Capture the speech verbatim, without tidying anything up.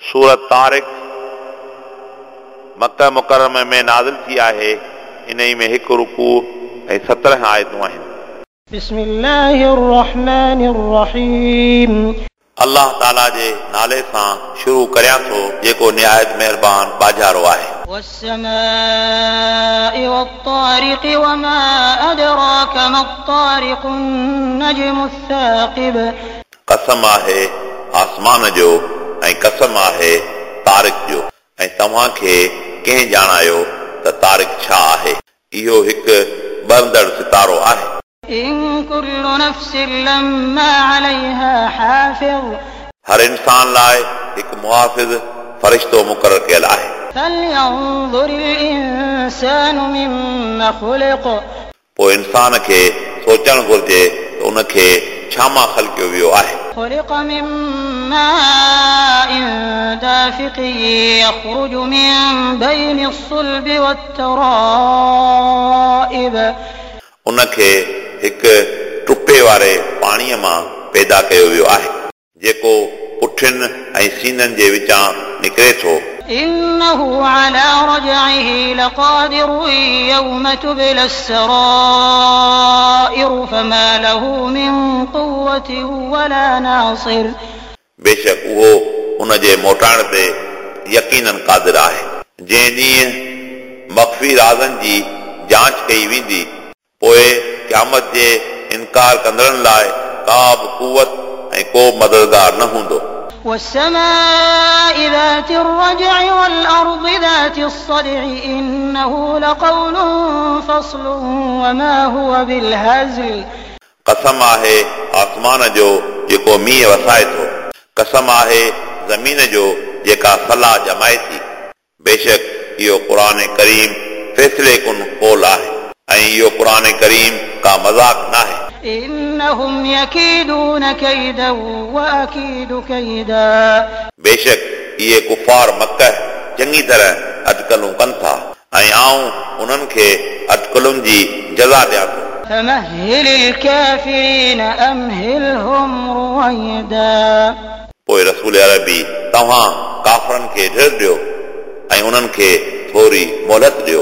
सूरत तारिक मक्का मुकर्रम में नाज़िल थी आहे। इन्ही में हिकु रुकू ऐं सत्रहं आयतूं आहिनि। बिस्मिल्लाहिर्रहमानिर्रहीम। अल्लाह ताला जे नाले सां शुरू करियां थो जेको निहायत महिरबान बाजारो आहे। वस्समाइ वत्तारिक़ वमा अदराक मत्तारिक़ अन्नज्मुस साक़िब। कसम आहे आसमान जो ऐं कसम आहे तारिक जो, ऐं तव्हांखे कंहिं ॼाणायो त तारिक छा आहे? इहो हिकु ॿरंदड़ सितारो आहे। इन कुल्लु नफ्सिन लम्मा अलैहा हाफ़िज़। हर इंसान लाइ हिकु मुहाफ़िज़ फरिश्तो मुक़ररु कयल आहे। फलयंज़ुरिल इंसानु मिम्मा ख़ुलिक़। पोइ इंसान खे सोचणु घुर्जे त उनखे छा मां ख़लकियो वियो आहे। ख़ुलिक़ मिन माइन दाफ़िक़ यख़रुजु मिन बैनि अस्सुल्बि वत्तराइब। उनखे हिकु टुपे वारे पाणीअ मां पैदा कयो वियो आहे जेको पुठियुनि ऐं सीननि जे विचां निकिरे थो। इन्नहु अला रजइहि लक़ादिर यौम तुबला अस्सराइर फमा लहू मिन क़ुव्वतिन वला नासिर। बेशक उहो उन जे मोटाइण ते यकीनन क़ादिर आहे। जंहिं ॾींहुं मख़फ़ी राज़नि जी जांच कई वेंदी, पोइ क़यामत जे इनकार कंदड़नि लाइ का बि कुवत ऐं को मददगार न हूंदो। والسماء ذات الرجع والأرض ذات الصدع إنه لقول فصل وما هو بالهزل। कसम आहे आसमान जो जेको मींहुं वसाए थो, कसम आहे ज़मीन जो जेका सलाह जमाए थी। बेशक इहो क़ुर करीम फ़ैसिले कुन क़ोल आहे ऐं इहो क़ुर करीम का मज़ाक न आहे। इन्नहुम यकीदून कैदा वअकीदु कैदा। बेशक इहे कुफार मक्का चङी तरह अटकलूं कनि था ऐं आउं उन्हनि खे अटकलुनि जी जज़ा ॾियां थो। फमहिलिल काफ़िरीन अमहिलहुम रुवैदा। पोइ रसूल अरबी तव्हां काफ़रनि खे ढिर ॾियो ऐं उन्हनि खे थोरी मोहलत ॾियो।